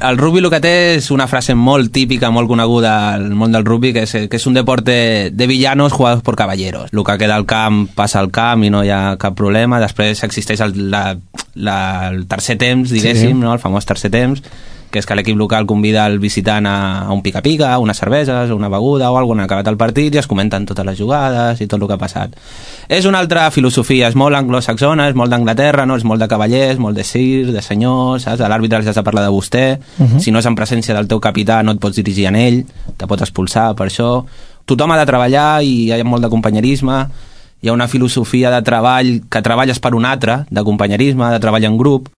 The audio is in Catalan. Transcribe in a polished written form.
El rugby el que té és una frase molt típica, molt coneguda al món del rugby, que és un deporte de villanos jugados por caballeros. El que queda al camp passa al camp i no hi ha cap problema. Després existeix el tercer temps, diguéssim, no? El famós tercer temps, que és que l'equip local convida el visitant a un pica-pica, unes cerveses, una beguda o alguna, acabat el partit, i es comenten totes les jugades i tot el que ha passat. És una altra filosofia, és molt anglosaxona, és molt d'Anglaterra, no? És molt de cavallers, molt de sir, de senyors, saps? A l'àrbitre has de parlar de vostè, si no és en presència del teu capità no et pots dirigir a ell, te pots expulsar per això. Tothom ha de treballar i hi ha molt de companyerisme, hi ha una filosofia de treball que treballes per un altre, de companyerisme, de treball en grup.